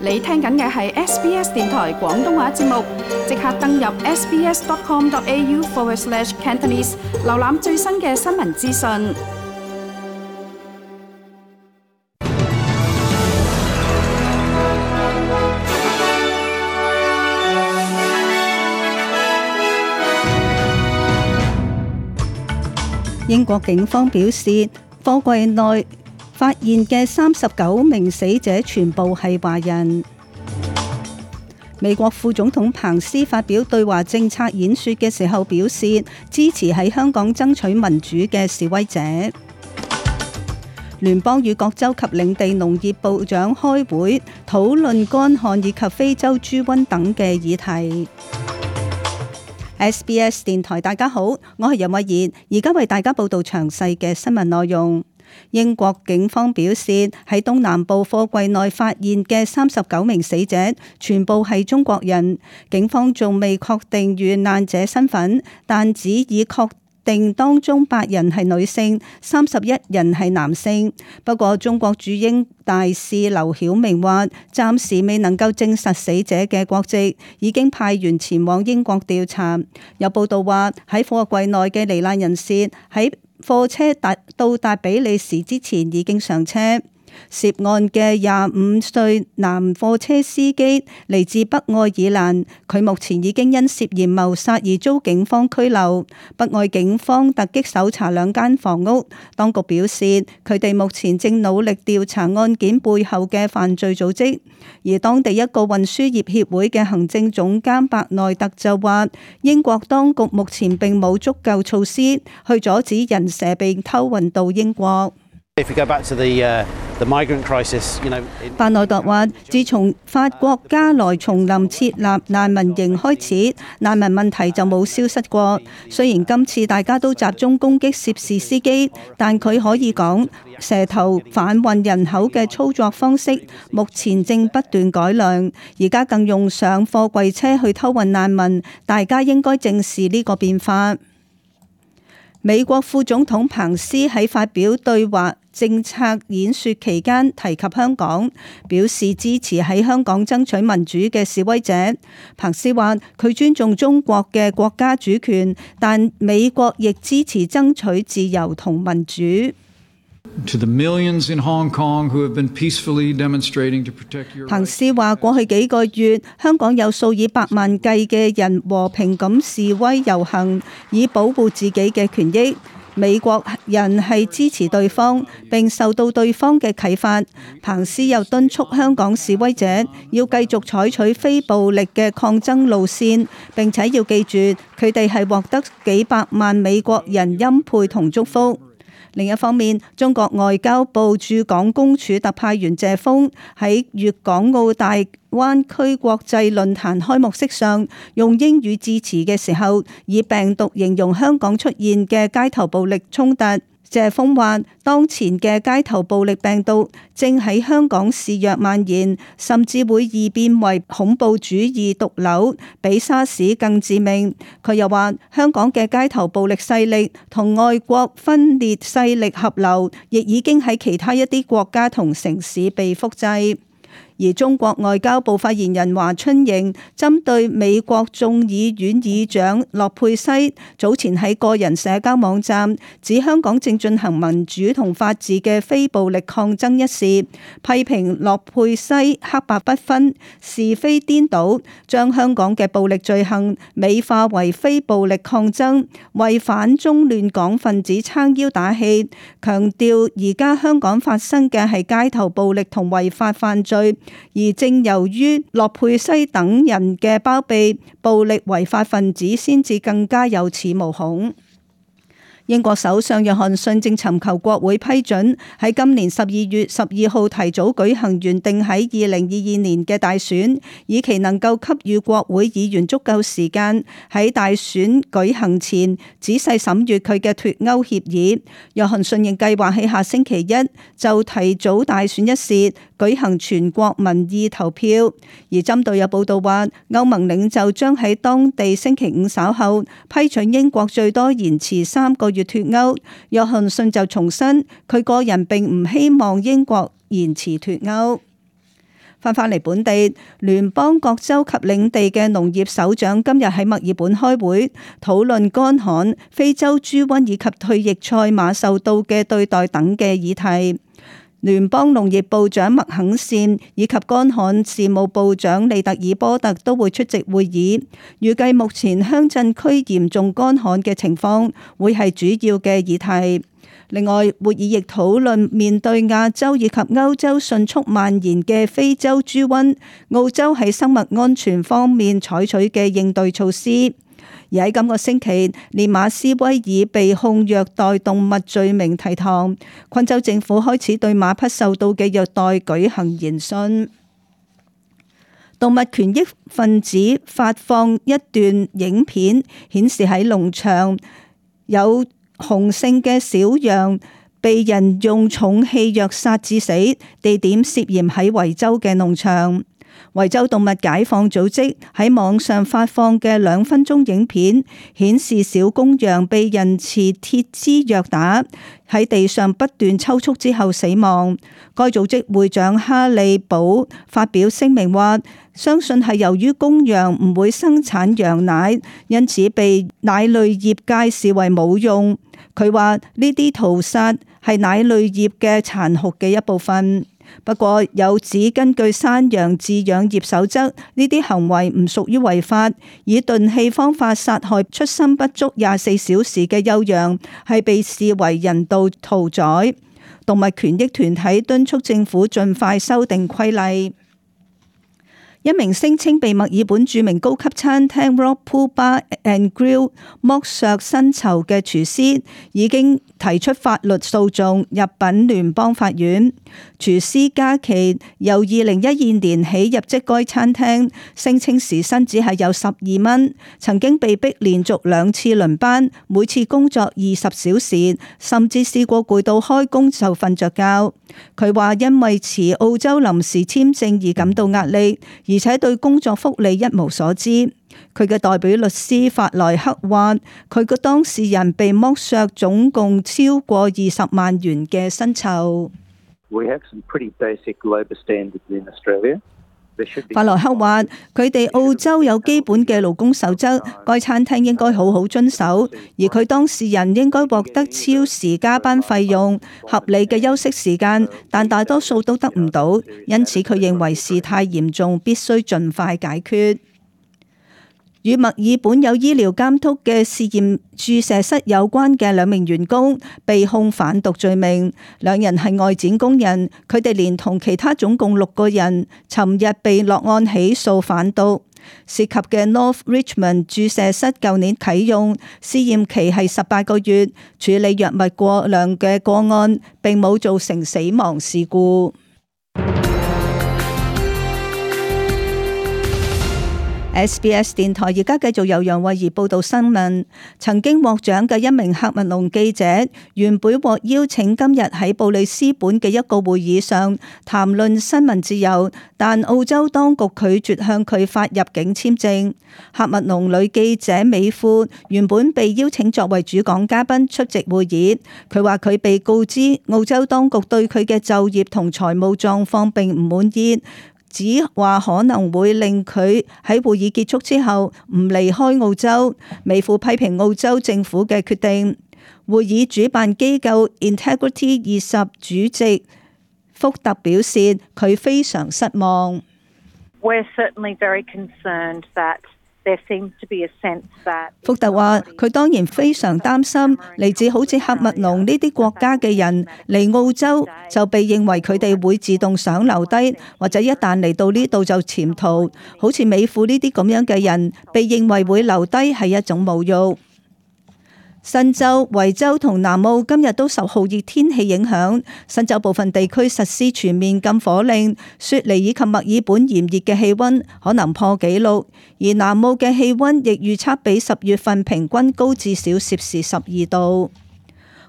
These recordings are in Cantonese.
你聽緊嘅係 SBS 電台廣東話節目，即刻登入 sbs.com.au/Cantonese 瀏覽最新嘅新聞資訊。英國警方表示，貨櫃內發現嘅39名死者全部係華人。美國副總統彭斯發表對華政策演說嘅時候表示，支持喺香港爭取民主嘅示威者。聯邦與各州及領地農業部長開會討論乾旱以及非洲豬瘟等嘅議題。SBS 電台，大家好，我係任慧儀，而家為大家報道詳細嘅新聞內容。英國警方表示，喺東南部貨櫃內發現嘅39名死者全部係中國人，警方仲未確定遇難者身份，但只已確定當中8人係女性，31人係男性。不過中國駐英大使劉曉明話，暫時未能夠證實死者嘅國籍，已經派員前往英國調查。有報道話，喺貨櫃內嘅罹難人士喺貨車到達比利時之前已經上車。涉案嘅25歲男貨車司機嚟自北愛爾蘭，佢目前已經因涉嫌謀殺而遭警方拘留。北愛警方突擊搜查2間房屋，當局表示佢哋目前正努力調查案件背後嘅犯罪組織。而當地一個運輸業協會嘅行政總監白內特就話，英國當局目前並冇足夠措施去阻止人蛇被偷運到英國。白內特話，自從法國加萊叢林設立難民營開始，難民問題就冇消失過。雖然今次大家都集中攻擊涉事司機，但佢可以講，蛇頭販運人口嘅操作方式目前正不斷改良，而家更用上貨櫃車去偷運難民，大家應該正視呢個變化。美國副總統彭斯喺發表對華政策演說期間提及香港，表示支持喺香港爭取民主嘅示威者。彭斯話佢尊重中國嘅國家主權，但美國亦支持爭取自由同民主。彭斯話過去幾個月，香港有數以百萬計嘅人和平咁示威遊行，以保護自己嘅權益。美國人係支持對方，並受到對方嘅啟發。彭斯又敦促香港示威者要繼續採取非暴力嘅抗爭路線，並且要記住佢哋係獲得幾百萬美國人欽佩同祝福。另一方面，中國外交部駐港公署特派員謝鋒喺粵港澳大灣區國際論壇開幕式上用英語致辭嘅時候，以病毒形容香港出現嘅街頭暴力衝突。謝鋒話，當前嘅街頭暴力病毒正喺香港肆虐蔓延，甚至會異變為恐怖主義毒瘤，比沙士更致命。佢又話，香港嘅街頭暴力勢力同外國分裂勢力合流，亦已經喺其他一啲國家同城市被複製。而中國外交部發言人華春瑩針對美國眾議院議長洛佩西早前喺個人社交網站指香港正進行民主同法治嘅非暴力抗爭一事，批評洛佩西黑白不分、是非顛倒，將香港嘅暴力罪行美化為非暴力抗爭，為反中亂港分子撐腰打氣，強調而家香港發生嘅係街頭暴力同違法犯罪。而正由於洛佩西等人嘅包庇，暴力違法分子先至更加有恃無恐。英國首相約翰遜正尋求國會批准喺今年12月12號提早舉行原定喺2022年嘅大選，以期能夠給予國會議員足夠時間喺大選舉行前仔細審閱佢嘅脫歐協議。約翰遜仍計劃喺下星期一就提早大選一事舉行全國民意投票。而針對有報道話，歐盟領袖將喺當地星期五稍後批准英國最多延遲3個月脫歐，約翰遜就重申佢個人並唔希望英國延遲脫歐。返嚟本地，聯邦各州及領地嘅農業首長今日喺墨爾本開會，討論乾旱、非洲豬瘟以及退役賽馬受到嘅對待等嘅議題。聯邦農業部長麥肯善以及乾旱事務部長利特爾波特都會出席會議，預計目前鄉鎮區嚴重乾旱嘅情況會係主要嘅議題。另外，會議亦討論面對亞洲以及歐洲迅速蔓延嘅非洲豬瘟，澳洲喺生物安全方面採取嘅應對措施。而喺今個星期，連馬斯威爾被控虐待動物罪名提堂，昆州政府開始對馬匹受到嘅虐待舉行研訊。動物權益分子發放一段影片，顯示喺農場有雄性嘅小羊被人用重氣藥殺致死，地點涉嫌喺維州嘅農場。維州動物解放組織喺網上發放嘅2分鐘影片，顯示小公羊被人持鐵枝虐打，喺地上不斷抽搐之後死亡。該組織會長哈利堡發表聲明話，相信係由於公羊唔會生產羊奶，因此被奶類業界視為冇用。佢話呢啲屠殺係奶類業嘅殘酷嘅一部分。不過有指根據山羊飼養業守則，呢啲行為唔屬於違法。以鈍器方法殺害出生不足24小時嘅幼羊，係被視為人道屠宰。動物權益團體敦促政府盡快修訂規例。一名聲稱被墨爾本著名高級餐廳 Rock Pool Bar and Grill 剝削薪酬嘅廚師，已經提出法律訴訟入稟聯邦法院。廚師加奇由2012年起入職該餐廳，聲稱時薪只係有12蚊，曾經被逼連續2次輪班，每次工作20小時，甚至試過攰到開工就瞓着覺。佢話因為持澳洲臨時簽證而感到壓力，而且對工作福利一無所知。佢嘅代表律師法萊克話，佢嘅當事人被剝削總共超過20萬元嘅薪酬。法萊克話，佢哋澳洲有基本嘅勞工守則，該餐廳應該好好遵守，而佢當事人應該獲得超時加班費用、合理嘅休息時間，但大多數都得唔到，因此佢認為事態嚴重，必須盡快解決。與墨爾本有醫療監督嘅試驗注射室有關嘅2名員工被控販毒罪名，2人係外展工人，佢哋連同其他總共6個人，尋日被落案起訴販毒。涉及嘅 North Richmond 注射室舊年啟用，試驗期係18個月，處理藥物過量嘅個案，並冇造成死亡事故。SBS 電台而家繼續由楊慧儀報道新聞。曾經獲獎嘅一名喀麥隆記者，原本獲邀請今日喺布里斯本嘅一個會議上談論新聞自由，但澳洲當局拒絕向佢發入境簽證。喀麥隆女記者美庫原本被邀請作為主講嘉賓出席會議，佢話佢被告知澳洲當局對佢嘅就業同財務狀況並唔滿意，只話可能會令佢喺會議結束之後唔離開澳洲。美庫批評澳洲政府嘅決定。會議主辦機構 Integrity 20主席福特表示，佢非常失望。福特話：佢當然非常擔心嚟自好似喀麥隆呢啲國家嘅人嚟澳洲，就被認為佢哋會自動想留低，或者一旦嚟到呢度就潛逃。好似美庫呢啲咁樣嘅人，被認為會留低係一種侮辱。新州、維州同南澳今日都受酷熱天氣影響，新州部分地區實施全面禁火令，雪梨以及墨爾本炎熱嘅氣溫可能破紀錄，而南澳嘅氣溫亦預測比10月份平均高至少攝氏12度。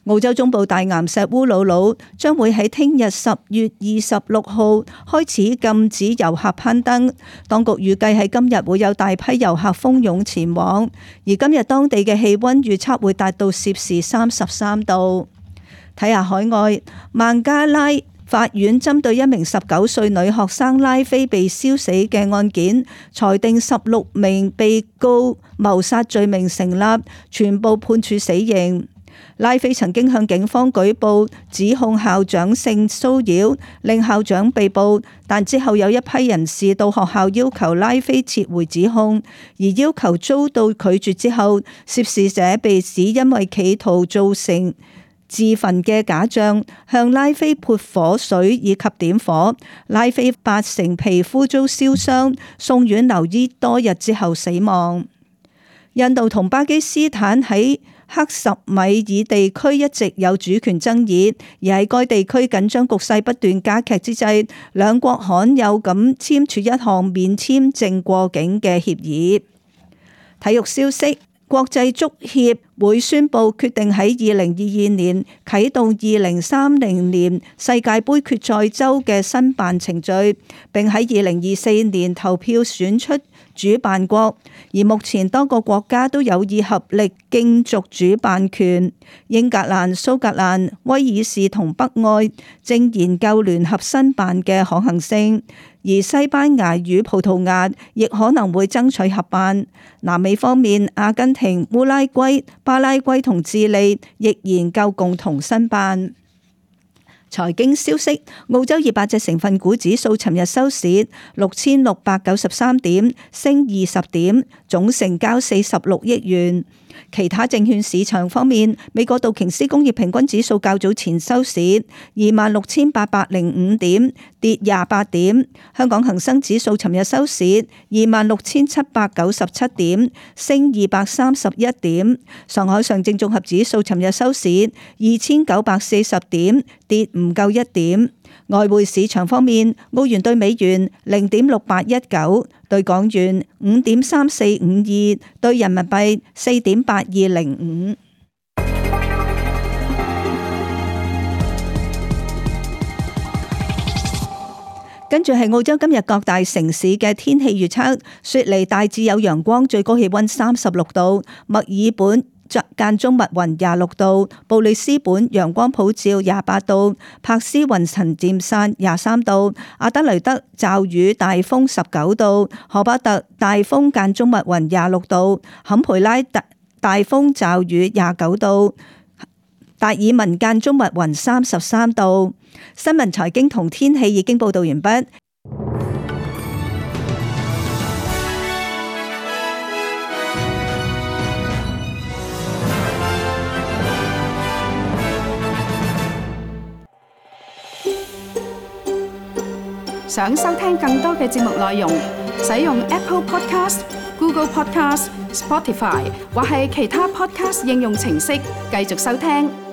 澳洲中部大岩石烏魯魯將會喺聽日10月26號開始禁止遊客攀登，當局預計喺今日會有大批遊客蜂擁前往，而今日當地嘅氣溫預測會達到攝氏33度。睇下海外，孟加拉法院針對一名19歲女學生拉菲被燒死嘅案件，裁定16名被告謀殺罪名成立，全部判處死刑。拉菲曾經向警方舉報指控校長性騷擾，令校長被捕，但之後有一批人士到學校要求拉菲撤回指控，而要求遭到拒絕之後，涉事者被指因為企圖造成自焚嘅假象，向拉菲潑火水以及點火，拉菲8成皮膚遭燒傷，送院留醫多日之後死亡。印度同巴基斯坦喺克什米爾地區一直有主權爭議，而喺該地區緊張局勢不斷加劇之際，兩國罕有咁簽署一項免簽證過境嘅協議。體育消息，國際足協會宣布決定喺2022年啟動2030年世界盃決賽周嘅申辦程序，並喺2024年投票選出主辦國，而目前多個國家都有意合力競逐主辦權。英格蘭、蘇格蘭、威爾士同北愛正研究聯合申辦嘅可行性，而西班牙與葡萄牙亦可能會爭取合辦。南美方面，阿根廷、烏拉圭、巴拉圭同智利亦研究共同申辦。財經消息，澳洲200隻成分股指數尋日收市6693點，升20點，總成交46億元。其他證券市場方面，美國道瓊斯工業平均指數較早前收市26,805點，跌28點。香港恒生指數尋日收市26,797點，升231點。上海上證綜合指數尋日收市2,940點，跌唔夠1點。外匯市場方面，澳元兌美元0.6819，兌港元5.3452，兌人民幣4.8205。跟住係澳洲今日各大城市嘅天氣預測：雪梨大致有陽光，最高氣溫36度；墨爾本間中密雲26度，布里斯本陽光普照28度，珀斯雲層漸散23度，阿德雷德驟雨大風19度，荷巴特大風間中密雲26度，坎培拉大風驟雨29度，達爾文間中密雲33度。新聞財經同天氣已經報道完畢。想收聽更多嘅節目內容，使用 Apple Podcast、Google Podcast、Spotify 或係其他 Podcast 應用程式繼續收聽。